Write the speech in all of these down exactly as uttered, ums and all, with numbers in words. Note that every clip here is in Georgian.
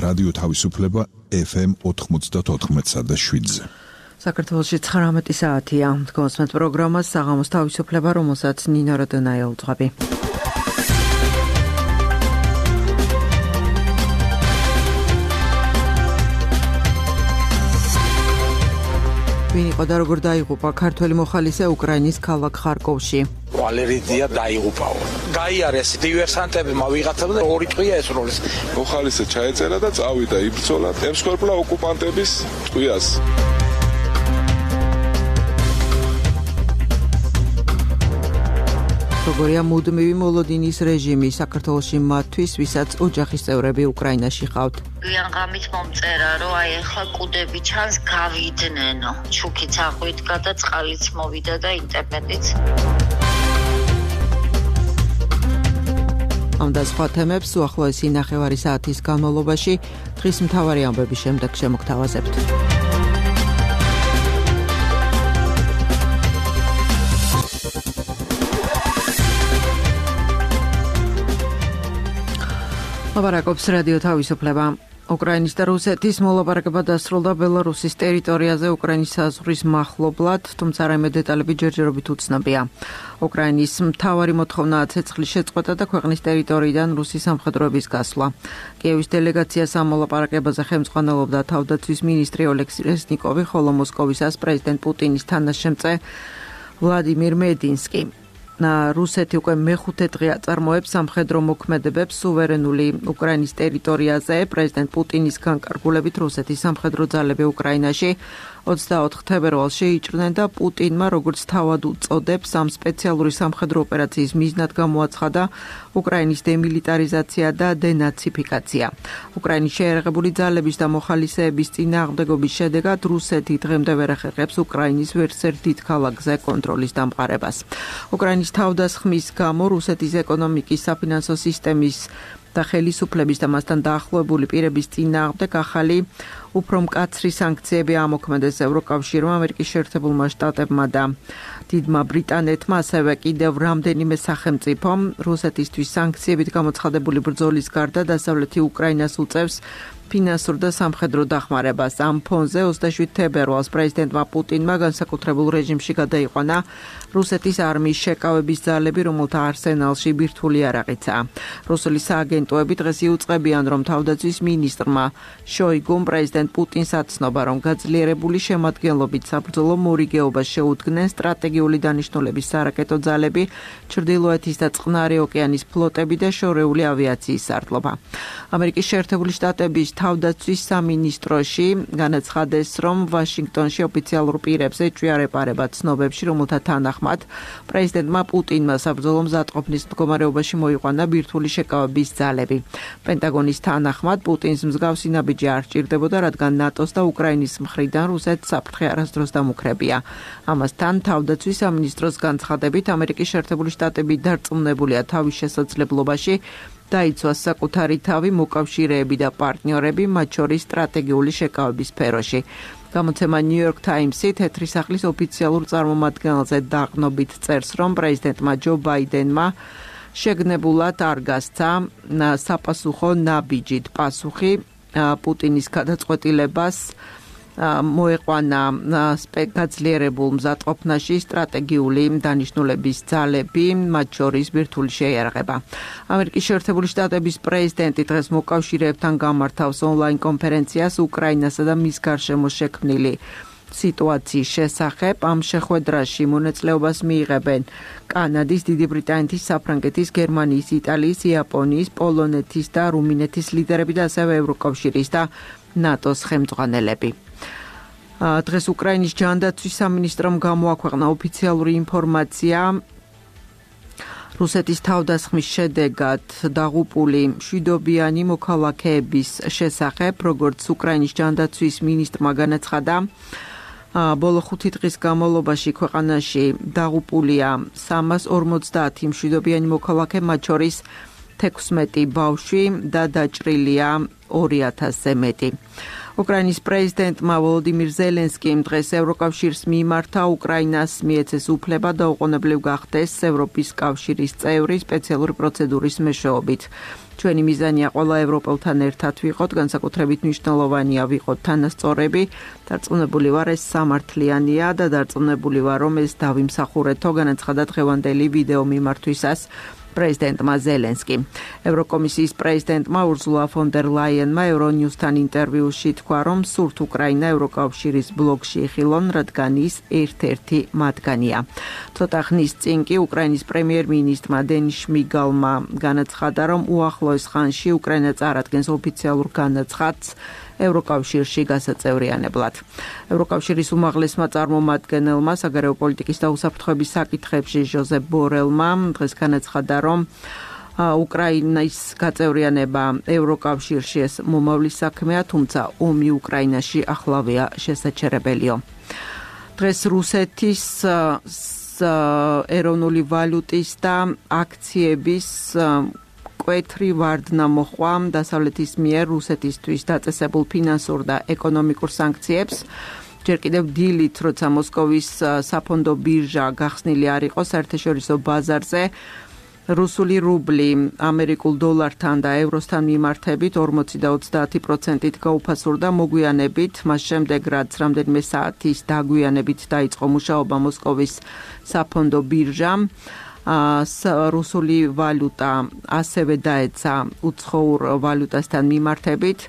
რადიო თავისუფლება ეფ ემ ოთხმოცდაოთხ და შვიდზე. საქართველოში ცხრამეტი საათია. გოსმეთ პროგრამას საღამოს თავისუფლება, რომელსაც ნინო როდონაია უძღვები. ვინ იყო და როგორ დაიღუპა ქართველი მოხალისე უკრაინის ქალაქ ხარკოვში? ვალერიდია დაიღუპაო. გაიარეს დივერსანტებმა ვიღაცამ და ორი ტყვია ესროლეს. მოხალისე ჩაეწერა და წავიდა იბრძოლა ემსხვერპლა ოკუპანტების ტყვიას. როგორია მუდმივი მოლოდინის რეჟიმი საქართველოში მათთვის, ვისაც ოჯახის წევრები უკრაინაში ხავთ? გვიან ღამით მომწერა, რომ აი ახლა კუდები ჩანს, გავიდნენო. ჩუქიც აღვიდგა და წყალიც მოვიდა და ინტერნეტიც. ამ და სხვა თემებს უახლოესი ნახევარი საათის განმავლობაში დღის მთავარი ამბების შემდეგ შემოგთავაზებთ. ლაპარაკობს რადიო თავისუფლება. უკრაინის და რუსეთის მოლაპარაკება დასრულდა ბელარუსის ტერიტორიაზე უკრაინის საზღვრის მახლობლად, თუმცა რაიმე დეტალები ჯერჯერობით უცნობია. უკრაინის მთავარი მოთხოვნაა ცეცხლის შეწყვეტა და ქვეყნის ტერიტორიიდან რუსის სამხედროების გასვლა. კიევის დელეგაციას ამ მოლაპარაკებაზე ხელმძღვანელობდა თავდაცვის მინისტრი ოლექსი რეზნიკოვი, ხოლო მოსკოვისას პრეზიდენტ პუტინის თანაშემწე ვლადიმირ მედინსკი. რუსეთი უკვე მეხუთე დღე აწარმოებს სამხედრო მოქმედებებს სუვერენული უკრაინის ტერიტორიაზე. პრეზიდენტ პუტინის განკარგულებით რუსეთის სამხედრო ძალები უკრაინაში ოცდაოთხ თებერვალს შეიჭრნენ და პუტინმა, როგორც თავად უწოდებს, ამ სპეციალური სამხედრო ოპერაციის მიზნად გამოაცხადა უკრაინის დემილიტარიზაცია და დენაციფიკაცია. უკრაინის შეიარაღებული ძალების და მოხალისეების წინააღმდეგობის შედეგად რუსეთი დღემდე ვერ ახერხებს უკრაინის ვერცერთ დიდ ქალაქზე კონტროლის დამყარებას. უკრაინის თავდასხმის გამო რუსეთის ეკონომიკის, საფინანსო სისტემის და ხელისუფლების და მასთან დაახლოებული პირების წინააღმდეგ ახალი უფრო მკაცრი სანქციები ამოქმედეს ევროკავშირმა, ამერიკის შეერთებულმა შტატებმა და დიდმა ბრიტანეთმა, ასევე კიდევ რამდენიმე სახელმწიფომ. რუსეთისთვის სანქციებით გამოცხადებული ბრძოლის გარდა დასავლეთი უკრაინას უწევს ფინანსურ და სამხედრო დახმარებას. ამ ფონზე ოცდაშვიდ თებერვალს პრეზიდენტმა პუტინმა განსაკუთრებულ რეჟიმში გადაიყვანა რუსეთის არმიის შეკავების ძალები, რომელთა არსენალში ბირთვული იარაღიცაა. რუსული სააგენტოები დღეს იუწყებიან, რომ თავდაცვის მინისტრმა შოიგუმ პრეზიდენტ პუტინს აცნობა, რომ გაძლიერებული შემადგენლობით საბრძოლო მორიგეობას შეუდგნენ სტრატეგიული დანიშნულების სარაკეტო ძალები, ჩრდილოეთის და წყნარი ოკეანის ფლოტები და შორეული ავიაციის სარდლობა. ამერიკის შეერთებული შტატების თავდაცვის სამინისტროში განაცხადეს, რომ ვაშინგტონში ოფიციალურ პირებს ეჭვია რეპარება ცნობებში, რომელთა თანახმად პრეზიდენტმა პუტინმა საბრძოლო მზადყოფნის მდგომარეობაში მოიყვანა ბირთვული შეკავების ძალები. პენტაგონის თანახმად პუტინს მსგავსი ნაბიჯი არ სჭირდებოდა, რადგან ნატოს და უკრაინის მხრიდან რუსეთს საფრთხე არასდროს დამუქრებია. ამასთან თავდაცვის სამინისტროს განცხადებით, ამერიკის შეერთებული შტატები დარწმუნებულია თავის შესაძლებლობაში დაიცვას საკუთარი თავი მოკავშირეები და პარტნიორები, მათ შორის სტრატეგიული შეკავების სფეროში. გამოცემა New York Times-ი თეთრი სახლის ოფიციალურ წარმომადგენელზე დაყნობით წერს, რომ პრეზიდენტმა ჯო ბაიდენმა შეგნებულად არ გასცა საპასუხო ნაბიჯით პასუხი პუტინის გადაწყვეტილებას მოეყვანა გაძლიერებულ მზადყოფნაში სტრატეგიული დანიშნულების ძალები, მათ შორის ბირთვული შეიარაღება. ამერიკის შეერთებული შტატების პრეზიდენტი დღეს მოკავშირეებთან გამართავს ონლაინ კონფერენციას უკრაინასა და მის გარშემო შექმნილი სიტუაციის შესახებ. ამ შეხვედრაში მონაწილეობას მიიღებენ კანადის, დიდი ბრიტანეთის, საფრანგეთის, გერმანიის, იტალიის, იაპონიის, პოლონეთის და რუმინეთის ლიდერები და ასევე ევროკავშირის და ნატოს ხელმძღვანელები. დღეს უკრაინის ჯანდაცვის სამინისტრომ გამოაქვეყნა ოფიციალური ინფორმაცია რუსეთის თავდასხმის შედეგად დაღუპული მშვიდობიანი მოქალაქეების შესახებ, როგორც უკრაინის ჯანდაცვის მინისტრმა განაცხადა, ბოლო ხუთი დღის განმავლობაში ქვეყანაში დაღუპულია სამას ორმოცდაათი მშვიდობიანი მოქალაქე, მათ შორის თექვსმეტი ბავშვი და დაჭრილია ორი ათასზე მეტი. უკრაინის პრეზიდენტმა ვოლოდიმირ ზელენსკიმ დღეს ევროკავშირს მიმართა უკრაინას მიეცეს უფლება და უყოვნებლივ გახდეს ევროპის კავშირის წევრი სპეციალური პროცედურის მეშვეობით. ჩვენი მიზანია ყველა ევროპელთან ერთად ვიყოთ, განსაკუთრებით მნიშვნელოვანია ვიყოთ თანასწორები. დარწმუნებული ვარ, ეს სამართლიანია და დარწმუნებული ვარ, რომ ეს დავიმსახურეთო, განაცხადა დღევანდელი ვიდეო მიმართვისას პრეზიდენტმა ზელენსკიმ. ევროკომისიის პრეზიდენტმა ურზულა ფონ დერ ლაიენმა ევრონიუსთან ინტერვიუში თქვა, რომ სურთ უკრაინა ევროკავშირის ბლოკში იხილონ, რადგან ის ერთ-ერთი მათგანია. ცოტა ხნის წინ კი უკრაინის პრემიერ-მინისტრმა დენის შმიგალმა განაცხადა, რომ უახლოეს ხანში უკრაინა წარადგენს ოფიციალურ განაცხადს ევროკავშირში გასაწევრიანებლად. ევროკავშირის უმაღლესმა წარმომადგენელმა საგარეო პოლიტიკის და უსაფრთხოების საკითხებში ჟოზეფ ბორელმა დღეს განაცხადა, რომ უკრაინის გაწევრიანება ევროკავშირში ეს მომავლის საქმეა, თუმცა ომი უკრაინაში ახლავეა შესაჩერებელიო. დღეს რუსეთის ეროვნული ვალუტის და აქციების კვეთრი ვარდნა მოხვა დასავლეთის მიერ რუსეთისთვის დაწესებულ ფინანსურ და ეკონომიკურ სანქციებს. ჯერ კიდევ დილით, როცა მოსკოვის საფონდო ბირჟა გახსნილი არ იყო საერთაშორისო ბაზარზე, რუსული რუბლი ამერიკულ დოლართან და ევროსთან მიმართებით ორმოცი და ოცდაათი პროცენტით გაუფასურდა, მოგვიანებით, მას შემდეგ რაც რამდენიმე საათის დაგვიანებით დაიწყო მუშაობა მოსკოვის საფონდო ბირჟამ. რუსული ვალუტა ასევე დაეცა უცხოურ ვალუტასთან მიმართებით.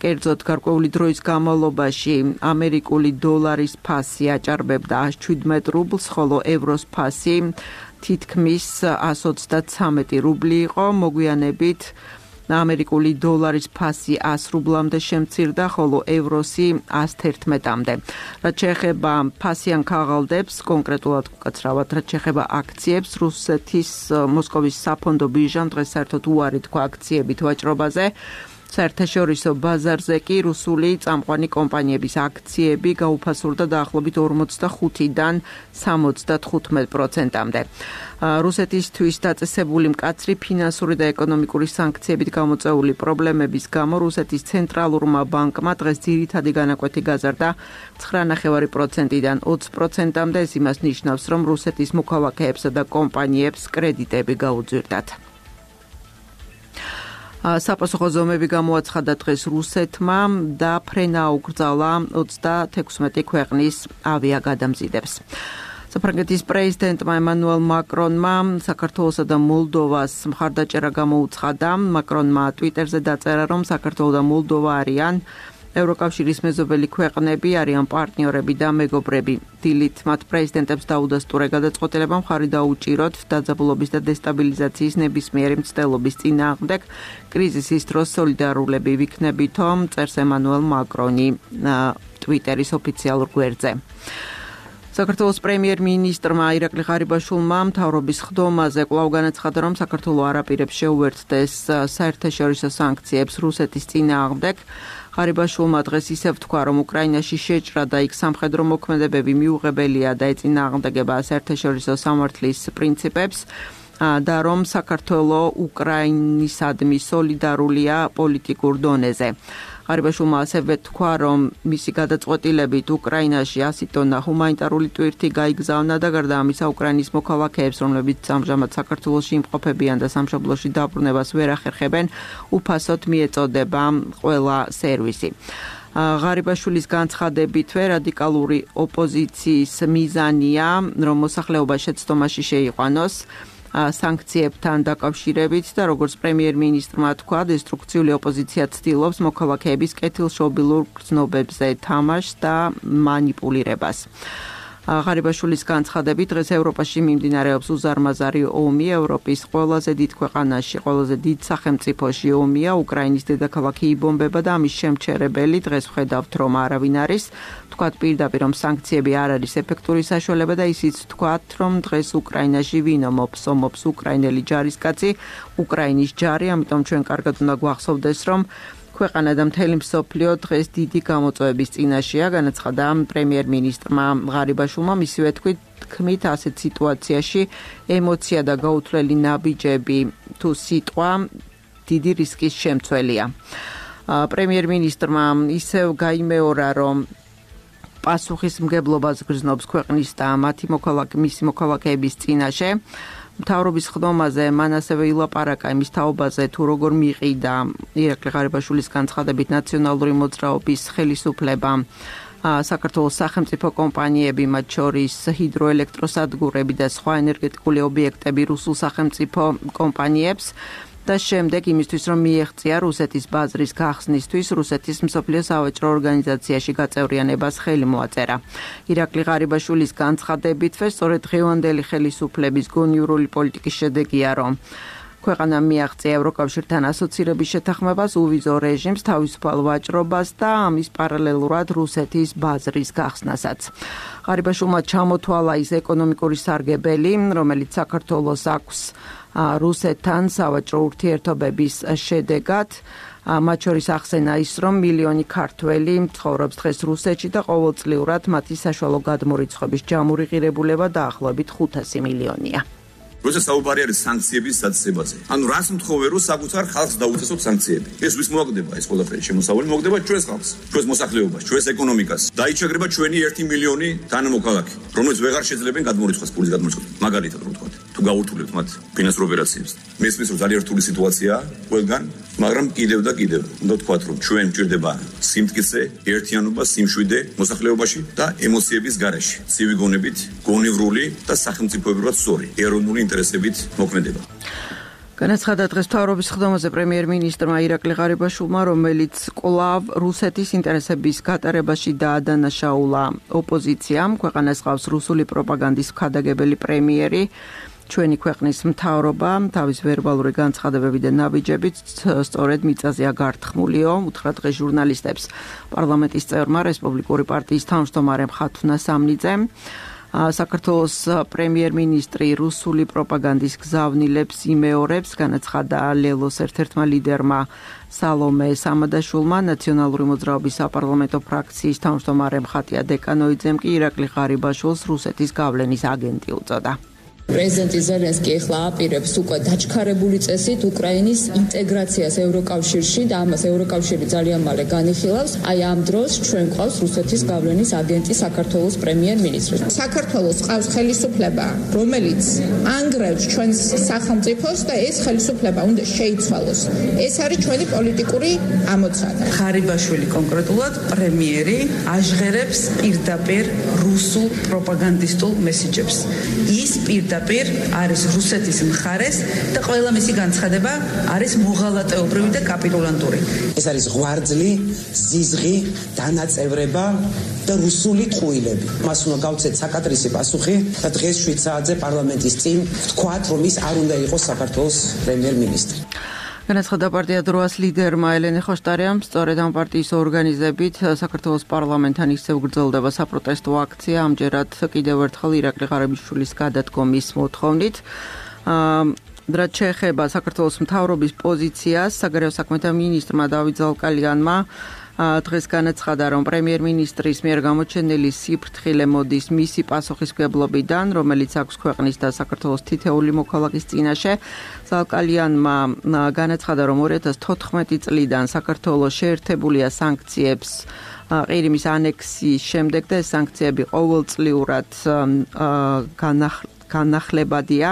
კერძოდ გარკვეული დროის განმავლობაში ამერიკული დოლარის ფასი აჭარბებდა ათს შვიდმეტ რუბლს, ხოლო ევროს ფასი თითქმის ათს ოცდათრამეტი რუბლი იყო. მოგვიანებით ამერიკული დოლარის ფასი ას რუბლამდე შემცირდა, ხოლო ევროსი ას თერთმეტამდე. რაც შეეხება ფასიან ქაღალდებს, კონკრეტულად უკაცრავად, რაც შეეხება აქციებს, რუსეთის მოსკოვის საფონდო ბირჟამ დღეს საერთოდ უარი თქვა აქციებით ვაჭრობაზე. საერთაშორისო ბაზარზე კი რუსული წამყვანი კომპანიების აქციები გაუფასურდა დაახლოებით ორმოცდახუთიდან სამოცდათხუთმეტ პროცენტამდე. რუსეთისთვის დაწესებული მკაცრი ფინანსური და ეკონომიკური სანქციებით გამოწვეული პრობლემების გამო რუსეთის ცენტრალურმა ბანკმა დღეს ძირითადი განაკვეთი გაზარდა ცხრა ნახევარი პროცენტიდან ოცი პროცენტამდე. ეს იმას ნიშნავს, რომ რუსეთის მოქალაქეებსა და კომპანიებს კრედიტები გაუძვირდათ. საპასუხო ზომები გამოაცხადა დღეს რუსეთმა და ფრენა აუკრძალა ოცდათექვსმეტი ქვეყნის ავიაგადამზიდებს. საფრანგეთის პრეზიდენტმა ემანუელ მაკრონმა საქართველოსა და მოლდოვას მხარდაჭერა გამოუცხადა. მაკრონმა ტვიტერზე დაწერა, რომ საქართველო და მოლდოვა არიან ევროკავშირის მეზობელი ქვეყნები, არიან პარტნიორები და მეგობრები. დილით მათ პრეზიდენტებს დაუდასტურე გადაწყვეტილება მხარი დაუჭიროთ დაძაბულობის და დესტაბილიზაციის ნებისმიერი მცდელობის წინააღმდეგ კრიზისის დროს სოლიდარულები ვიქნებითო, წერს ემანუელ მაკრონი ტვიტერის ოფიციალურ გვერდზე. საქართველოს პრემიერ-მინისტრმა ირაკლი ღარიბაშვილმა მთავრობის ხდომაზე კვლავ განაცხადა, რომ საქართველო არ აპირებს შეუერთდეს საერთაშორისო სანქციებს რუსეთის წინააღმდეგ. ღარიბაშვილმა დღეს ისევ თქვა, რომ უკრაინაში შეჭრა და იქ სამხედრო მოქმედებები მიუღებელია და ეწინააღმდეგება საერთაშორისო სამართლის პრინციპებს და რომ საქართველო უკრაინისადმი სოლიდარულია პოლიტიკურ დონეზე. ღარიბაშვილმა ასევე თქვა, რომ მისი გადაწყვეტილებით უკრაინაში ასი ტონა ჰუმანიტარული ტვირთი გაიგზავნა და გარდა ამისა უკრაინის მოქალაქეებს, რომლებიც ამჟამად საქართველოში იმყოფებიან და სამშობლოში დაბრუნებას ვერ ახერხებენ, უფასოდ მიეწოდება ყველა სერვისი. ღარიბაშვილის განცხადებითვე რადიკალური ოპოზიციის მიზანია, რომ მოსახლეობა შეცდომაში შეიყვანოს სანქციებთან დაკავშირებით და როგორც პრემიერ-მინისტრმა თქვა, დესტრუქციული ოპოზიცია ცდილობს მოქალაქეების კეთილშობილურ გრძნობებზე თამაშს და მანიპულირებას. ღარიბაშვილის განცხადებით დღეს ევროპაში მიმდინარეობს უზარმაზარი ომი. ევროპის ყველაზე დიდ ქვეყანაში, ყველაზე დიდ სახელმწიფოში ომია. უკრაინის დედაქალაქი იბომბება და ამის შემჩერებელი დღეს ვხედავთ, რომ არავინ არის. თქვათ პირდაპირ, რომ სანქციები არ არის ეფექტური საშუალება და ისიც თქვათ, რომ დღეს უკრაინაში ვინ ომობს, ომობს უკრაინელი ჯარისკაცი, უკრაინის ჯარი, ამიტომ ჩვენ კარგად უნდა გვახსოვდეს, რომ ქვეყანა და მთელი მსოფლიო დღეს დიდი გამოწვევების წინაშეა, განაცხადა პრემიერ-მინისტრმა ღარიბაშვილმა. მისივე თქმით, ასეთ სიტუაციაში ემოცია და გაუთვლელი ნაბიჯები თუ სიტყვა დიდი რისკის შემცველია. პრემიერ-მინისტრმა ისევ გაიმეორა, რომ პასუხისმგებლობას გრძნობს ქვეყნის და მათი მოქალაქე მისი მოქალაქეების წინაშე. მთავრობის ხდომაზე მან ასევე ილაპარაკა იმის თაობაზე, თუ როგორ მიყიდა ირაკლი ღარიბაშვილის განცხადებით ნაციონალური მოძრაობის ხელისუფლება საქართველოს სახელმწიფო კომპანიები, მათ შორის ჰიდროელექტროსადგურები და სხვა ენერგეტიკული ობიექტები რუსულ სახელმწიფო კომპანიებს და შემდეგ იმისთვის, რომ მიეღწია რუსეთის ბაზრის გახსნისთვის რუსეთის მსოფლიო სავაჭრო ორგანიზაციაში გაწევრიანებას ხელი მოაწერა. ირაკლი ღარიბაშვილის განცხადებითვე სწორედ დღევანდელი ხელისუფლების გონივრული პოლიტიკის შედეგია, რომ ქვეყანა მიაღწია ევროკავშირთან ასოცირების შეთანხმებას, უვიზო რეჟიმს, თავისუფალ ვაჭრობას და ამის პარალელურად რუსეთის ბაზრის გახსნასაც. ღარიბაშვილმა ჩამოთვალა ის ეკონომიკური სარგებელი, რომელიც საქართველოს აქვს რუსეთთან სავაჭრო ურთიერთობების შედეგად. მათ შორის ახსენა ის, რომ მილიონი ქართველი ცხოვრობს დღეს რუსეთში და ყოველწლიურად მათი საშუალო გადმორიცხვების ჯამური ღირებულება დაახლოებით ხუთასი მილიონია. როცა საუბარი არის სანქციების დაწესებაზე. ანუ რას მთხოვე რომ საკუთარ ხალხს დაუწესოთ სანქციები. ეს ვის მოაგდება ეს ყველაფერი შემოსავალი მოაგდება ჩვენს ხალხს, ჩვენს მოსახლეობას, ჩვენს ეკონომიკას. დაიჩაგრება ჩვენი ერთი მილიონი თანამოქალაქე, რომლებიც ვეღარ შეძლებენ გადმორიცხვას, პულის გადმორიცხვას. მაგალითად რომ ვთქვათ, თუ გაურთულებთ მათ ფინანსურ ოპერაციებს. მესმის რომ ძალიან რთული სიტუაციაა ყველგან, მაგრამ კიდევ და კიდევ უნდა ვთქვათ, რომ ჩვენ გვჭირდება სიმტკიცე, ერთიანობა, სიმშვიდე მოსახლეობაში და ემოციების გარეშე. ცივი გონებით, გონივრული და სახელმწიფოებრივად სწორი, ეროვნული ინტერესებით მოქმედება. განაცხადა დღეს მთავრობის ხდომაზე პრემიერ-მინისტრმა ირაკლი ღარიბაშვილმა, რომელიც კვლავ რუსეთის ინტერესების გატარებაში დაადანაშაულა ოპოზიციამ. ქვეყანას ყავს რუსული პროპაგანდის მხადაგებელი პრემიერი. ჩვენი ქვეყნის მთავრობა თავის ვერბალური განცხადებები და ნაბიჯებით სწორედ მიწაზეა გართქმულიო, უთხრა დღეს ჟურნალისტებს პარლამენტის წევრმა რესპუბლიკური პარტიის თავმჯდომარემ ხათუნა სამნიძემ. საქართველოს პრემიერ-მინისტრი რუსული პროპაგანდის გზავნილებს იმეორებს, განაცხადა ლელოს ერთ-ერთმა ლიდერმა სალომე სამადაშვილმა, ნაციონალური მოძრაობის საპარლამენტო ფრაქციის თავმჯდომარემ ხატია დეკანოიძემ კი ირაკლი ღარიბაშვილს რუსეთის გავლენის აგენტი უწოდა. პრეზიდენტი ზელენსკი ახლა აპირებს უკვე დაჩქარებული წესით უკრაინის ინტეგრაციას ევროკავშირში და ამას ევროკავშირი ძალიან მალე განიხილავს. აი ამ დროს ჩვენ ყავს რუსეთის გავლენის აგენტი საქართველოს პრემიერ-მინისტრი. საქართველოს ყავს ხელისუფლება, რომელიც ანგრევს ჩვენს სახელმწიფოს და ეს ხელისუფლება უნდა შეიცვალოს. ეს არის ჩვენი პოლიტიკური ამოცანა. ღარიბაშვილი კონკრეტულად პრემიერი აჟღერებს პირდაპირ რუსულ პროპაგანდისტულ მესიჯებს. ის პირდაპირ არის რუსეთის მხარეს და ყველა მისი განცხადება არის მოღალატეობრივი და კაპიტულანტური. ეს არის ღვარძლი, ზიზღი, დანაწევრება და რუსული ტყუილები. მას უნდა გავცეთ საკადრისი პასუხი და დღეს შვიდ საათზე პარლამენტის წინ ვთქვათ, რომ ის არ უნდა იყოს საქართველოს პრემიერ-მინისტრი. განაცხადა პარტია დროას ლიდერმა ელენე ხოშტარიამ, სწორედ ამ პარტიის ორგანიზებით საქართველოს პარლამენტთან ისევ გრძელდება საპროტესტო აქცია, ამჯერად კიდევ ერთხელ ირაკლი ღარიბაშვილის გადადგომის მოთხოვნით. რაც შეეხება საქართველოს მთავრობის პოზიციას, საგარეო საქმეთა მინისტრმა დავით ზალკალიანმა დღეს განაცხადა, რომ პრემიერ-მინისტრის მიერ გამოჩენილი სიფრთხილე მოდის მისი პასუხისმგებლობიდან, რომელიც აქვს ქვეყნის და საქართველოს თითეული მოქალაქის წინაშე. ზალკალიანმა განაცხადა, რომ ორი ათას თოთხმეტი წლიდან საქართველოს შეერთებულია სანქციებს ყირიმის ანექსიის შემდეგ და ეს სანქციები ყოველწლიურად განახლებადია.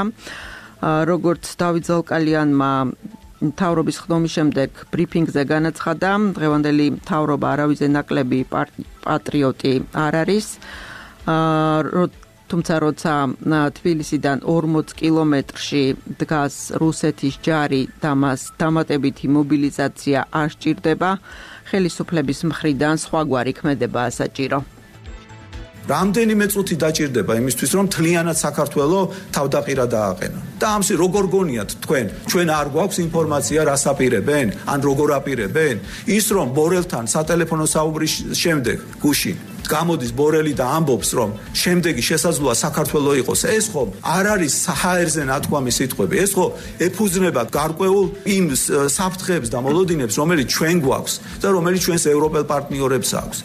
როგორც დავით ზალკალიანმა მთავრობის ხდომის შემდეგ ბრიფინგზე განაცხადა, დღევანდელი მთავრობა არავითარ ნაკლები პატრიოტი არ არის. თუმცა როცა თბილისიდან ორმოც კილომეტრში დგას რუსეთის ჯარი და მას დამატებითი მობილიზაცია არ სჭირდება, ხელისუფლების მხრიდან სხვაგვარი ქმედებაა საჭირო. რამდენიმე წუთი დაჭირდება იმისთვის, რომ თლიანად საქართველოს თავდაყირა დააყენონ. და ამის როგორ გონიათ თქვენ, ჩვენ არ გვაქვს ინფორმაცია რას აპირებენ, ან როგორ აპირებენ? ის რომ ბორელთან სატელეფონო საუბრის შემდეგ გუშინ გამოდის ბორელი და ამბობს, რომ შემდეგი შესაძლოა საქართველოს იყოს, ეს ხო არ არის ჰაერზე ნათქვამი სიტყვები, ეს ხო ეფუძნება გარკვეულ იმ საფრთხეებს და მოლოდინებს, რომელიც ჩვენ გვაქვს და რომელიც ჩვენს ევროპელ პარტნიორებს აქვს.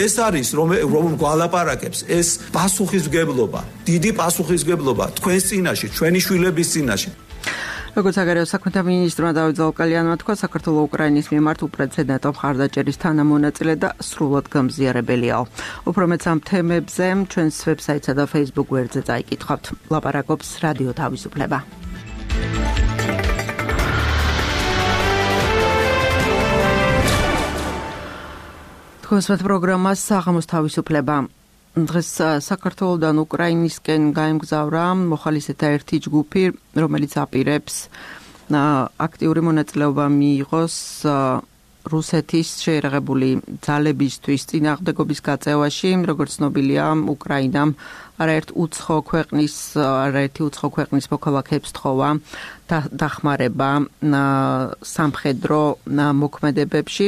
ეს არის რომ რომ გვალაპარაკებს, ეს პასუხისმგებლობა, დიდი პასუხისმგებლობა თქვენს წინაშე, ჩვენი შვილების წინაშე. როგორც საგარეო საქმეთა მინისტრმა დავით ზალკალიანმა თქვა, საქართველოს უკრაინის მიმართ უპრეცედენტო მხარდაჭერის თანამონაწილე და სრულად გამზიარებელიაო. უფრო მეც ამ თემებზე ჩვენს ვებსაიტსა და Facebook გვერდზე წაიკითხავთ. ლაპარაკობს რადიო თავისუფლება. თქვენს პროგრამას საღამოს თავისუფლება. დღეს საქართველოსდან უკრაინისკენ გაემგზავრა მოხალისეთა ერთი ჯგუფი, რომელიც აპირებს აქტიური მონაწილეობა მიიღოს რუსეთის შეერაღებული ძალებისთვის წინააღმდეგობის გაწევაში, როგორც ცნობილია, უკრაინამ არაერთ უცხო ქვეყნის არაერთი უცხო ქვეყნის მოქალაქეებს თხოვა დახმარება სამხედრო მოქმედებებში.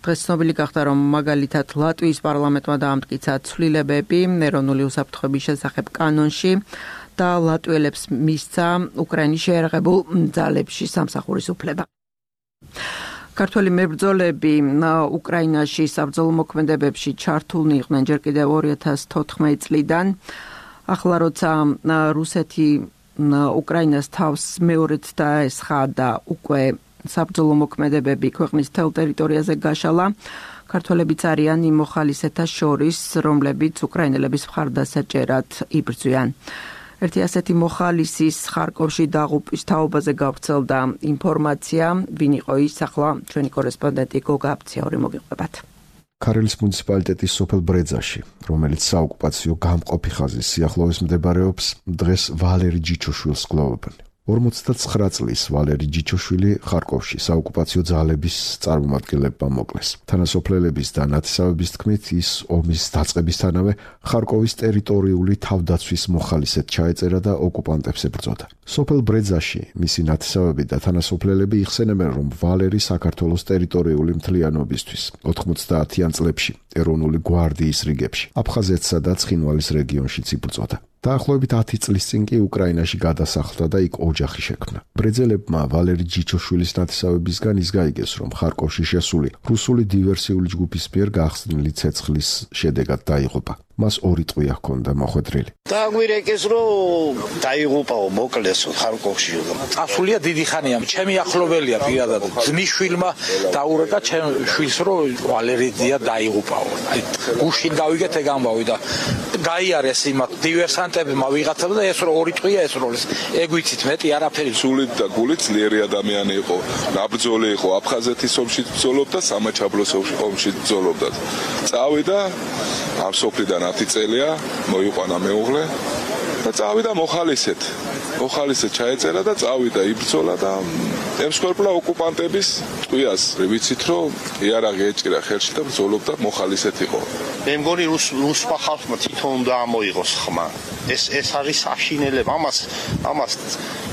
დღეს ცნობილი გახდა, რომ მაგალითად ლატვიის პარლამენტმა დაამტკიცა ცვლილებები ეროვნული უსაფრთხოების შესახებ კანონში და ლატვიელებს მისცა უკრაინის შეერაღებულ ძალებში სამსახურის უფლება. ქართველი მებრძოლები უკრაინაში საბრძოლო მოქმედებებში ჩართულნი იყვნენ ჯერ კიდევ ორი ათას თოთხმეტი წლიდან. ახლა როცა რუსეთი უკრაინას თავს მეორედ დაესხა და უკვე საბრძოლო მოქმედებები ქვეყნის მთელ ტერიტორიაზე გაშალა, ქართველებიც არიან იმ მოხალისეთა შორის, რომლებიც უკრაინელების მხარდასაჭერად იბრძვიან. ერთი ასეთი მოხალისის ხარკოვში დაღუპვის თაობაზე გავრცელდა ინფორმაცია, ვინ იყო ის, ახლა ჩვენი კორესპონდენტი გოგა აფციაური მოგიყვებათ. ქარელის მუნიციპალიტეტის სოფელ ბრეძაში, რომელიც საოკუპაციო გამყოფი ხაზის სიახლოვეს მდებარეობს, დღეს ვალერი ჯიჩოშვილს გლოვობენ. ორმოცდათცხრა წლის ვალერი ჯიჩოშვილი ხარკოვში საოკუპაციო ძალების წარმომადგენლებმა მოკლეს. თანასოფლელების და ნათესავების თქმით, ის ომის დაწყებისთანავე ხარკოვის ტერიტორიული თავდაცვის მოხალისედ ჩაეწერა და ოკუპანტებს ებრძოდა. სოფელ ბრეძაში მისი ნათესავები და თანასოფლელები იხსენებენ, რომ ვალერი საქართველოს ტერიტორიული მთლიანობისთვის ოთხმოცდაათიან წლებში ეროვნული გვარდიის რიგებში აფხაზეთსა და ცხინვალის რეგიონშიც იბრძოდა. დაახლოებით ათი წლის წინ კი უკრაინაში გადასახლდა და იქ ოჯახი შექმნა. ბრეძელებმა ვალერი ჯიჩოშვილის ნათესავებისგან ის გაიგეს, რომ ხარკოვში შესული რუსული დივერსიული ჯგუფის მიერ გახსნილი ცეცხლის შედეგად დაიღუპა. მას ორი ტყვია ჰქონდა მოხვედრილი. დაგვირეკეს, რომ დაიღუპაო, მოკლესო ხარკოვში. წასულია დიდი ხანია, ჩემი ახლობელია პირადად. ძმისშვილმა დაურეკა ჩემ შვილს, რომ ვალერია დაიღუპაო. აი გუშინ გავიგეთ ეგ ამბავი და გაიარეს იმათ დივერსანტებმა ვიღაცამ და ეს რო ორი ტყვია ეს როლის. ეგ ვიცით მეტი არაფერი. სულით და გულით ძლიერი ადამიანი იყო. ნაბრძოლი იყო, აფხაზეთის ომში ბრძოლობდა, სამაჩაბლოს ომში ბრძოლობდა. წავიდა ამ სოფლიდან ათი წელია, მოიყვანა მეუღლე და წავიდა მოხალისეთ. მოხალისეთ ჩაეწერა და წავიდა იბრძოლა და ემსხვერპლა ოკუპანტების ტყვიას. ვიცით, რომ იარაღი ეჭირა ხელში და ბრძოლობდა მოხალისეთ იყო. მე მგონი რუსმა ხალხმა თვითონ უნდა ამოიღოს ხმა. ეს ეს არის საშინელება. ამას ამას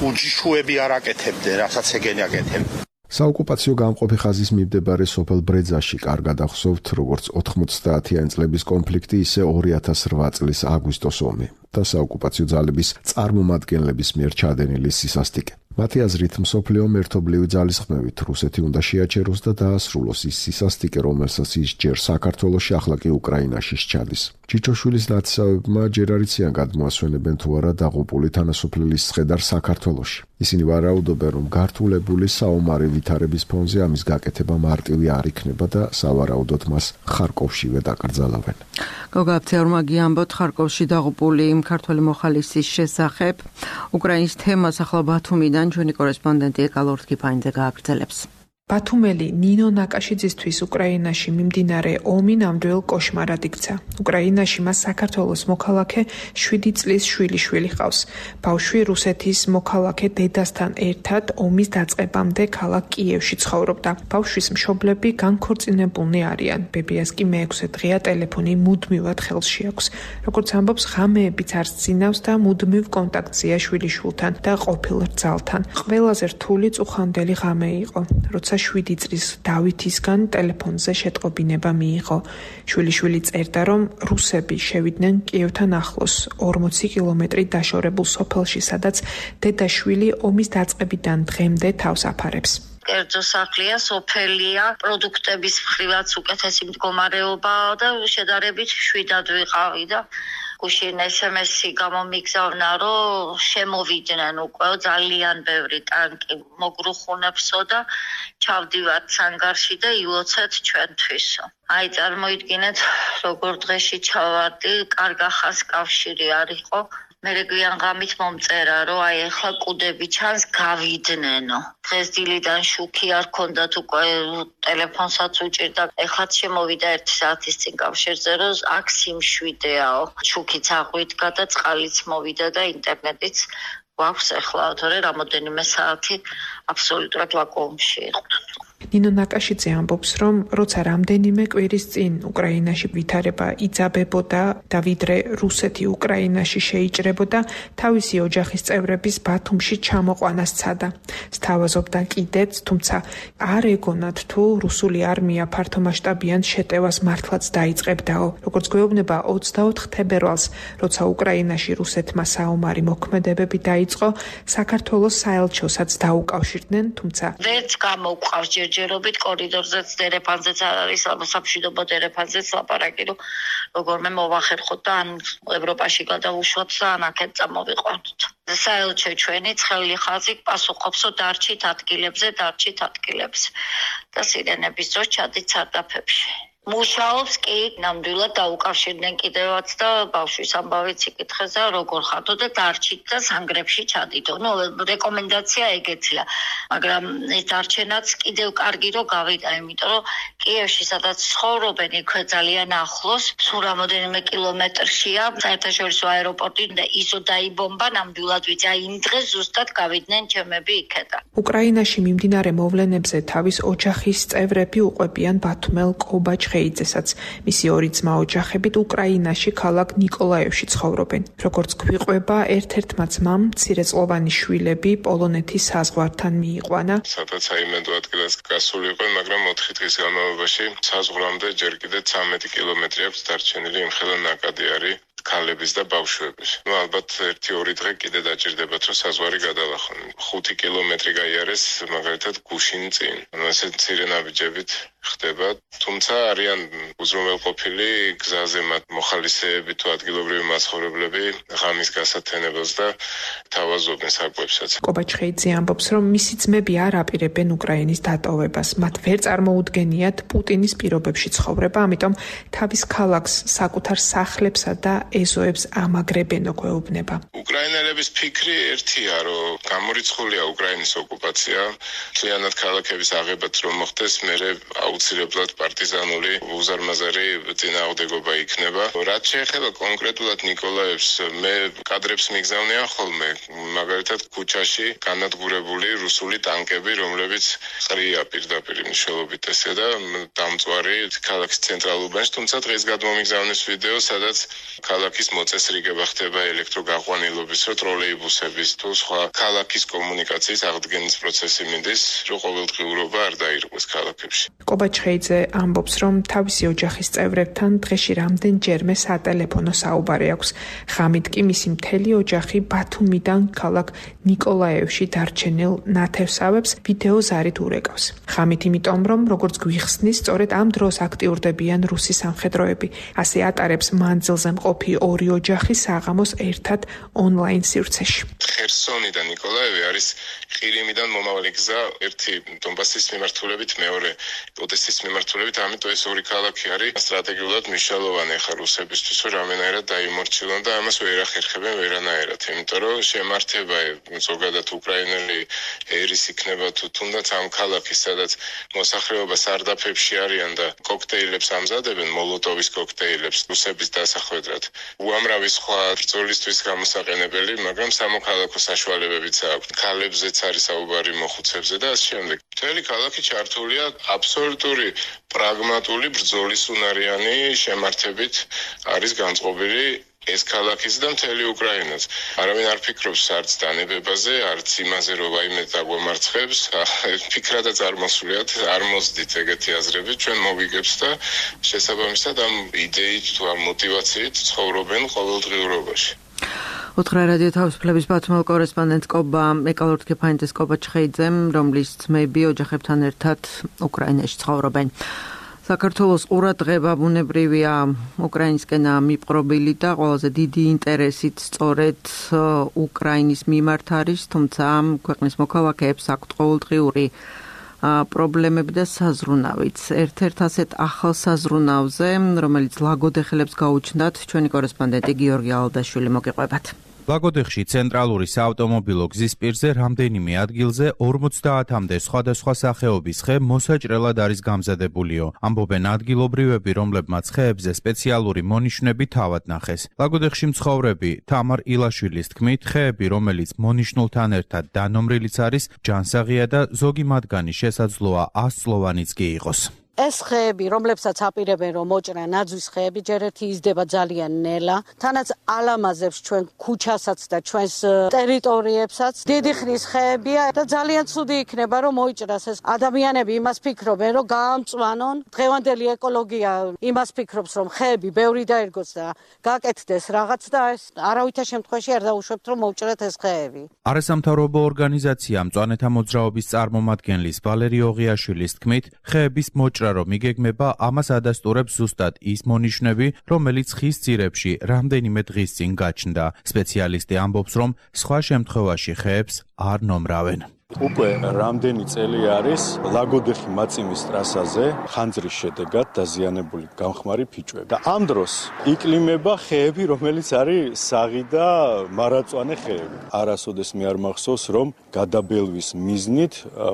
უჯიშუები არ აკეთებდნენ, რასაც ეგენი აკეთებდნენ. საოკუპაციო გამყოფი ხაზის მიმდებარე სოფელ ბრეძაში კარგად ახსოვთ, როგორც ოთხმოცდაათიანი წლების კონფლიქტი, ისე ორი ათას რვა წლის აგვისტოს ომი და საოკუპაციო ძალების წარმომადგენლების მიერ ჩადენილი სისასტიკე. მათი აზრით, მსოფლიომ ერთობლივი ძალისხმევით რუსეთი უნდა შეაჩეროს და დაასრულოს ის სისასტიკე, რომელსაც ის ჯერ საქართველოში, ახლა კი უკრაინაში სჩადის. ჯიჩოშვილის ნათესავებმა ჯერ არ იციან გადმოასვენებენ თუ არა დაღუპული თანასოფლელის ცხედარ საქართველოში. ისინი ვარაუდობენ, რომ გართულებული საომარი ვითარების ფონზე ამის გაკეთება მარტივი არ იქნება და სავარაუდოდ მას ხარკოვშივე დაკრძალავენ. გოგა აფციაურმა გიამბოთ ხარკოვში დაღუპული ქართველი მოხალისის შესახებ. უკრაინის თემას ახლა ბათუმიდან ჩვენი კორესპონდენტი ეკალორთ კიფაინძე გააგრძელებს. ბათუმელი ნინო ნაკაშიძისთვის უკრაინაში მიმდინარე ომი ნამდვილ კოშმარად იქცა. უკრაინაში მას საქართველოს მოქალაქე შვიდი წლის შვილიშვილი ჰყავს. ბავშვი რუსეთის მოქალაქე დედასთან ერთად ომის დაწყებამდე ქალაქ კიევში ცხოვრობდა. ბავშვის მშობლები განქორწინებულნი არიან. ბებიას კი მეექვსე დღეა ტელეფონი მუდმივად ხელში აქვს. როგორც ამბობს, ღამეებიც არ სძინავს და მუდმივ კონტაქტზეა შვილიშვილთან და ყოფილ რძალთან. ყველაზე რთული წუხანდელი ღამე იყო, როცა შვიდი წლის დავითისგან ტელეფონზე შეტყობინება მიიღო. შვილიშვილი წერდა, რომ რუსები შევიდნენ კიევთან ახლოს, ორმოცი კილომეტრი დაშორებულ სოფელში, სადაც დედაშვილი ომის დაწყებიდან დღემდე თავს აფარებს. კერძო სახლია, სოფელია, პროდუქტების მხრივაც უკეთესი მდგომარეობაა და შედარებით შვიდად ვიყავი და გუშინ ესემესი გამომიგზავნა, რომ შემოვიდნენ უკვე ძალიან ბევრი ტანკი მოგრუხუნებსო და ჩავდივართ სანგარში და ილოცეთ ჩვენთვისო. აი წარმოიდგინეთ, როგორ დღეში ჩავარდი, კარგა ხანს კავშირი არ იყო. მე გვიან ღამით მომწერა, რომ აი ახლა კუდები ჩანს გავიდნენო. დღეს დილიდან შუქი არ ქონდათ, უკვე ტელეფონსაც უჭირდა. ეხლაც შემოვიდა ერთი საათის წინ კავშირზე, რომ აქ სიმშვიდეაო. შუქიც აღვიდგა და წყალიც მოვიდა და ინტერნეტიც გვაქვს ახლა, თორე რამოდენიმე საათი აბსოლუტურად ვაკუუმში იყო. ნინო ნაკაშიძე ამბობს, რომ როცა რამდენიმე კვირის წინ უკრაინაში ვითარება იძაბებოდა და ვიდრე რუსეთი უკრაინაში შეიჭრებოდა, თავისი ოჯახის წევრების ბათუმში ჩამოყვანა სცადა. სთავაზობდა კიდეც, თუმცა არ ეგონათ თუ რუსული არმია ფართომასშტაბიან შეტევას მართლაც დაიწყებდაო. როგორც გვეუბნება ოცდაოთხ თებერვალს, როცა უკრაინაში რუსეთმა საომარი მოქმედებები დაიწყო, საქართველოს საელჩოსაც დაუკავშირდნენ, თუმცა ვერც გამოვყავს ჯერჯერობით კორიდორზეც დერეფანზეც არ არის სამშვიდობო დერეფანზეც ლაპარაკი, რომ როგორმე მოვახერხოთ და ან ევროპაში გადავუშვათ და ან აქეთ წამოვიყვანოთ. საელჩო ჩვენი ცხელი ხაზი პასუხობსო დარჩით ადგილებზე, დარჩით ადგილებზე და სირენების დროს ჩადით სარდაფებში. მუშაობს კი ნამდვილად დაუკავშირდნენ კიდევაც და ბავშვის ამბავიც იკითხეს და როგორ ხარდო და დარჩით და სანგრებში ჩადიდო. ნუ რეკომენდაცია ეგეთია, მაგრამ ეს დარჩენაც კიდევ კარგი რომ გავიდა, იმიტომ რომ კიევში სადაც ცხოვრობენ იქვე ძალიან ახლოს, სულ რამოდენიმე კილომეტრშია საერთაშორისო აეროპორტი და ისო დაიბომბა ნამდვილად ვიცი, აი იმ დღეს ზუსტად გავიდნენ ჩემები იქედან. უკრაინაში მიმდინარე მოვლენებზე თავის ოჯახის წევრები უყვებიან ბათუმელ კობაჩ ხეიძესაც. მისი ორი ძმა ოჯახებით უკრაინაში ქალაქ ნიკოლაევში ცხოვრობენ. როგორც გვიყვება, ერთ-ერთმა ძმამ მცირეწლოვანი შვილები პოლონეთის საზღვართან მიიყვანა. სადაც აიმედო ადგილას გასული იყო, მაგრამ ოთხი დღის განმავლობაში საზღვრამდე ჯერ კიდევ ცამეტი კილომეტრი აქვს დარჩენილი, იმხელა ნაკადი არის ქალების და ბავშვების. ნუ ალბათ ერთი ორი დღე კიდე დაჭირდებათ, რომ საზღვარი გადალახონ. ხუთი კილომეტრი გაიარეს მაგალითად გუშინ წინ. ანუ ესე მცირე ნაბიჯებით ხდება, თუმცა არიან უზრუნველყოფილი გზაზე მათ მოხალისეები თუ ადგილობრივი მაცხოვრებლები ღამის გასათენებელს და თავაზობენ საკვებსაც. კობაჩხეიძე ამბობს, რომ მისი ძმები არ აპირებენ უკრაინის დატოვებას. მათ ვერ წარმოუდგენიათ პუტინის პირობებში ცხოვრება, ამიტომ თავის ქალაქს, საკუთარ სახლებსა და ეზოებს ამაგრებენო გვეუბნება. უკრაინელების ფიქრი ერთია, რომ გამორიცხულია უკრაინის ოკუპაცია, მთლიანად ქალაქების აღებაც რომ მოხდეს, მერე აუცილებლად პარტიზანული უზარმაზარი წინააღმდეგობა იქნება. რაც შეეხება კონკრეტულად ნიკოლაევს, მე კადრებს მიგზავნიან ხოლმე, მაგალითად ქუჩაში განადგურებული რუსული ტანკები, რომლებიც ყრია პირდაპირ მნიშვნელობით ესე და დამწვარი ქალაქის ცენტრალურ უბანში, თუმცა დღეს გადმომიგზავნეს ვიდეო, სადაც ქალაქის მოწესრიგება ხდება ელექტროგაყვანილობის, რო ტროლეიბუსების თუ სხვა ქალაქის კომუნიკაციის აღდგენის პროცესი მიდის, რომ ყოველდღიურობა არ დაირღვეს ქალაქებში. კობაჩხეიძე ამბობს, რომ თავისი ოჯახის წევრებთან დღეში რამდენჯერმე სატელეფონო საუბარი აქვს. ღამით კი მისი მთელი ოჯახი ბათუმიდან ქალაქ ნიკოლაევში დარჩენილ ნათევსავებს ვიდეო ზარით ურეკავს. ღამით იმიტომ, რომ როგორც გვიხსნის, სწორედ ამ დროს აქტიურდებიან რუსი სამხედროები. ასე ატარებს მანძილზე მყოფი ორი ოჯახი საღამოს ერთად ონლაინ სივრცეში. ხერსონი და ნიკოლაევი არის ყირიმიდან მომავალი გზა, ერთი დონბასის მიმართულებით, მეორე ოდესის მიმართულებით, ამიტომ ეს ორი ქალაქი არის სტრატეგიულად მნიშვნელოვანი ხა რუსებისთვის, რომ რამენაერად დაიმორჩილონ და ამას ვერ ახერხებენ ვერანაერად, იმიტომ რომ შემართება ზოგადად უკრაინელი ერის იქნება თუ თუნდაც ამ ქალაქის, სადაც მოსახლეობა სარდაფებში არიან და კოქტეილებს ამზადებენ, მოლოტოვის კოქტეილებს რუსების დასახვედრად. უამრავი სხვა ბრძოლისთვის გამოსაყენებელი, მაგრამ სამოქალაქო საშუალებებიც აქვს. ქალებზეც არის საუბარი, მოხუცებზე და ამ შემდეგ. მთელი ქალაქი ჩართულია აბსოლუტური პრაგმატული ბრძოლის უნარიანი შემართებით არის განწყობილი ეს ქალაქის და მთელი უკრაინაც. არავინ არ ფიქრობს არც დანებებაზე, არც იმაზე, რომ ვაიმე დაგვემარცხებს. ფიქრადაც არ მოსულიათ, არ მოსდით ეგეთი აზრები, ჩვენ მოვიგებს და შესაბამისად ამ იდეით თუ ამ мотивაციით ცხოვრობენ ყოველდღიურობაში. უთხრა რადიო თავისუფლების ბათუმელ კორესპონდენტ კობა ეკალორთქეფანიძეს კობაჩხეიძემ, რომლის ძმები ოჯახებთან ერთად უკრაინაში ცხოვრობენ. საქართველოს ყურადღება ბუნებრივია უკრაინისკენ მიპყრობილი და ყველაზე დიდი ინტერესით სწორედ უკრაინის მიმართ არის, თუმცა ქვეყნის მოქალაქეებს აქვთ ყოველდღიური პრობლემები და საზრუნავიც. ერთ-ერთ ასეთ ახალ საზრუნავზე, რომელიც ლაგოდეხელებს გაუჩნდათ, ჩვენი კორესპონდენტი გიორგი ალდაშვილი მოგიყვებათ. ლაგოდეხში ცენტრალური საავტომობილო გზის პირზე რამდენიმე ადგილზე ორმოცდაათამდე სხვადასხვა სახეობის ხე მოსაჭრელად არის გამზადებულიო. ამბობენ ადგილობრივები, რომლებმაც ხეებზე სპეციალური მონიშნები თავად ნახეს. ლაგოდეხში მცხოვრები თამარ ილაშვილის თქმით, ხეები, რომელიც მონიშნულთან ერთად დანომრილიც არის, ჯანსაღია და ზოგი მათგანი შესაძლოა ასწლოვანიც კი იყოს. ეს ხეები, რომლებსაც აპირებენ რომ მოჭრან ნაძვის ხეები, ჯერ ერთი იზრდება ძალიან ნელა, თანაც ალამაზებს ჩვენ ქუჩასაც და ჩვენს ტერიტორიებსაც. დიდი ხნის ხეებია და ძალიან ცუდი იქნება რომ მოიჭრას ეს. ადამიანები იმას ფიქრობენ რომ გაამწვანონ, დღევანდელი ეკოლოგია იმას ფიქრობს რომ ხეები ბევრი დაერგოს და გაკეთდეს რაღაც და ეს არავითარ შემთხვევაში არ დაუშვებთ რომ მოუჭრათ ეს ხეები. არასამთავრობო ორგანიზაცია მწვანეთა მოძრაობის წარმომადგენლის ვალერი ოღიაშვილის თქმით, ხეების მოჭრა რომ იგეგმება, ამას ადასტურებს ზუსტად ის მონიშნები, რომელიც ხის ძირებში რამდენიმე დღის წინ გაჩნდა. სპეციალისტი ამბობს, რომ სხვა შემთხვევაში ხეებს არ ნომრავენ. უკვე რამდენი წელი არის ლაგოდეხი მაწიმის ტრასაზე ხანძრის შედეგად დაზიანებული გამხმარი ფიჭვები. და ამ დროს იკლიმება ხეები, რომელიც არის საღი და მარაწვანე ხეები. არასოდეს მე არ მახსოვს, რომ გადაბელვის მიზნით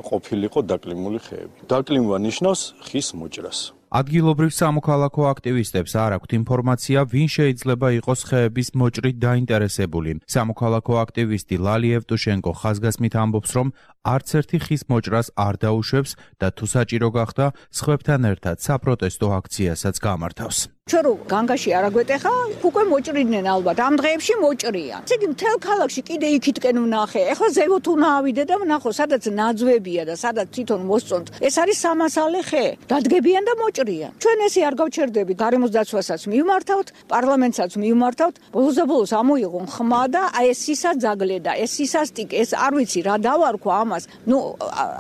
ყოფილიყო დაკლიმული ხეები. დაკლიმვა ნიშნავს ხის მოჭრას. ადგილობრივ სამოქალაქო აქტივისტებს არ აქვთ ინფორმაცია, ვინ შეიძლება იყოს ხეების მოჭრით დაინტერესებული. სამოქალაქო აქტივისტი ლალი ევტუშენკო ხაზგასმით ამბობს, რომ არც ერთი ხის მოჭრას არ დაუშვებს და თუ საჭირო გახდა, სხვებთან ერთად საპროტესტო აქციასაც გამართავს. ჩვენ რო განგაში არ აგვეტეხა, უკვე მოჭრიდნენ ალბათ. ამ დღეებში მოჭრიან. ესე იგი მთელ ქალაქში კიდე იქითკენ ვნახე. ეხლა ზევოთ უნდა ავიდე და ვნახო, სადაც ნაძვებია და სადაც თვითონ მოსწონთ. ეს არის სამასალე ხე. დადგებიან და მოჭრიან. ჩვენ ესე არ გავჩერდებით. გარემოს დაცვასაც მივმართავთ, პარლამენტსაც მივმართავთ. ბოლოს და ბოლოს ამოიღონ ხმა და აი ეს სისაძაგლე და ეს სისასტიკე, ეს არ ვიცი რა დავარქვა ამას. ნუ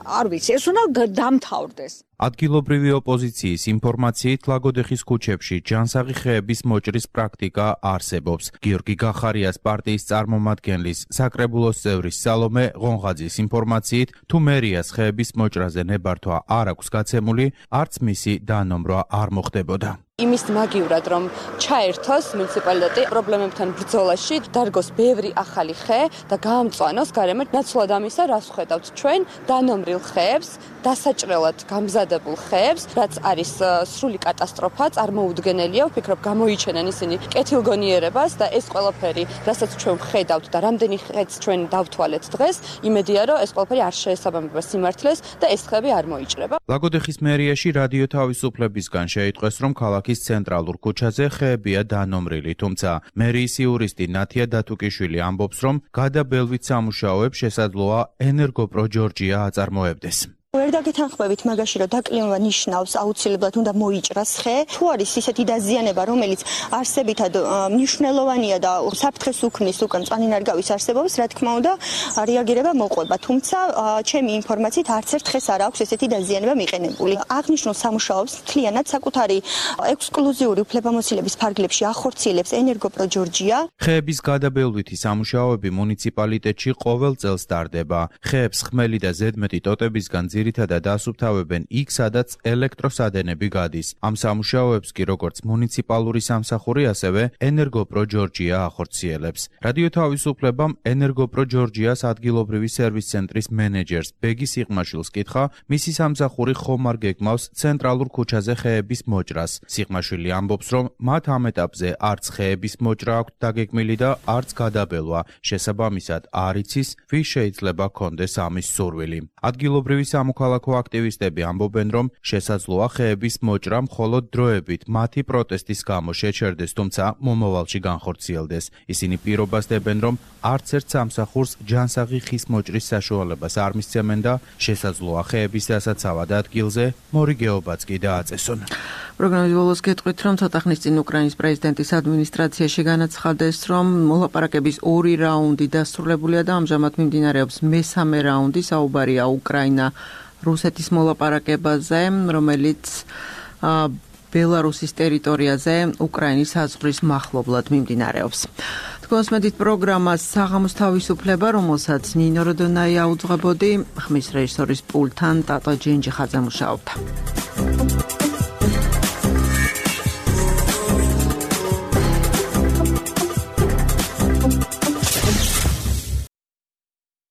არ ვიცი, ეს უნდა დამთავრდეს. ადგილობრივი ოპოზიციის ინფორმაციით ლაგოდეხის ქუჩებში ჯანსაღი ხეების მოჭრის პრაქტიკა არსებობს. გიორგი გახარიას პარტიის წარმომადგენლის საკრებულოს წევრის სალომე ღონღაძის ინფორმაციით, თუ მერიას ხეების მოჭრაზე ნებართვა არ აქვს გაცემული, არც მისი დანომრვა არ მოხდებოდა. იმის მაგივრად რომ ჩაერთოს მუნიციპალიტეტი პრობლემებთან ბრძოლაში, დარგოს ბევრი ახალი ხე და გაამწვანოს გარემო. ნაცვლად ამისა, რას ვხედავთ ჩვენ დანომრილ ხეებს, დასაჭრელად გამზადებულ ხეებს, რაც არის სრული კატასტროფა, წარმოუდგენელია. ვფიქრობ, გამოიჩენენ ისინი კეთილგონიერებას და ეს ყველაფერი, რასაც ჩვენ ვხედავთ და რამდენი ხეც ჩვენ დავთვალეთ დღეს, იმედია რომ ეს ყველაფერი არ შეესაბამება სიმართლეს და ეს ხეები არ მოიჭრება. ლაგოდეხის მერიაში რადიო თავისუფლებისგან შეიტყვეს, რომ ქალაქის ცენტრალურ ქუჩაზე ხეებია დანომრილი, თუმცა მერიის იურისტი ნათია დათუკიშვილი ამბობს, რომ გადაბელვით სამუშაოებს შესაძლოა ენერგოპრო ჯორჯია აწარმოებდეს. ვერ დაგეთანხმებით მაგაში, რომ დაკლიმვა ნიშნავს აუცილებლად უნდა მოიჭრას ხე. თუ არის ისეთი დაზიანება, რომელიც არსებითად მნიშვნელოვანია და საფრთხეს უქმნის უკან მწვანე-ნარგავის არსებობას, რა თქმა უნდა, რეაგირება მოყვება. თუმცა, ჩემი ინფორმაციით, არც ერთ ხეს არ აქვს ესეთი დაზიანება მიყენებული. აღნიშნულ სამუშაოებს მთლიანად საკუთარი ექსკლუზიური უფლებამოსილების ფარგლებში ახორციელებს ენერგოპრო ჯორჯია. ხეების გადაბელვითი სამუშაოები მუნიციპალიტეტში ყოველ წელს ტარდება. ხეებს ხმელი და ზედმეტი ტოტებისგან ძირითადად ასუფთავებენ იქ, სადაც ელექტროსადენები გადის. ამ სამუშაოებს კი როგორც მუნიციპალური სამსახური, ასევე ენერგოპრო ჯორჯია ახორციელებს. რადიო თავისუფლებამ ენერგოპრო ჯორჯიას ადგილობრივი სერვის ცენტრის მენეჯერს ბეგი სიღმაშვილს კითხა, მისი სამსახური ხომ არ გეგმავს ცენტრალურ ქუჩაზე ხეების მოჭრას. სიღმაშვილი ამბობს, რომ მათ ამ ეტაპზე არც ხეების მოჭრა აქვთ დაგეგმილი და არც გადაბელვა. შესაბამისად, არ იცის, ვის შეიძლება კონდეს ამის სურვილი. ადგილობრივი სამოქალაქო აქტივისტები ამბობენ, რომ შესაძლოა ხეების მოჭრა მხოლოდ დროებით მათი პროტესტის გამო შეჩერდეს, თუმცა მომავალში განხორციელდეს. ისინი პირობას დებენ, რომ არც ერთ სამსახურს ჯანსაღი ხის მოჭრის საშუალებას არ მისცემენ და შესაძლოა ხეების დასაცავად ადგილზე მორიგეობაც კი დააწესონ. პროგრამის ბოლოს გეტყვით, რომ ცოტა ხნის წინ უკრაინის პრეზიდენტის ადმინისტრაციაში განაცხადეს, რომ მოლაპარაკების ორი რაუნდი დასრულებულია და ამჟამად მიმდინარეობს მესამე რაუნდი. საუბარია უკრაინა რუსეთის მოლაპარაკებაზე, რომელიც ბელარუსის ტერიტორიაზე უკრაინის საზღვრის მახლობლად მიმდინარეობს. თქვენს მედით პროგრამას საღამოს თავისუფლება, რომელსაც ნინო როდონაი აუძღვებოდი, ხმის რეჟისორის პულტთან ტატო ჯენჯიხაძე მუშაობდა.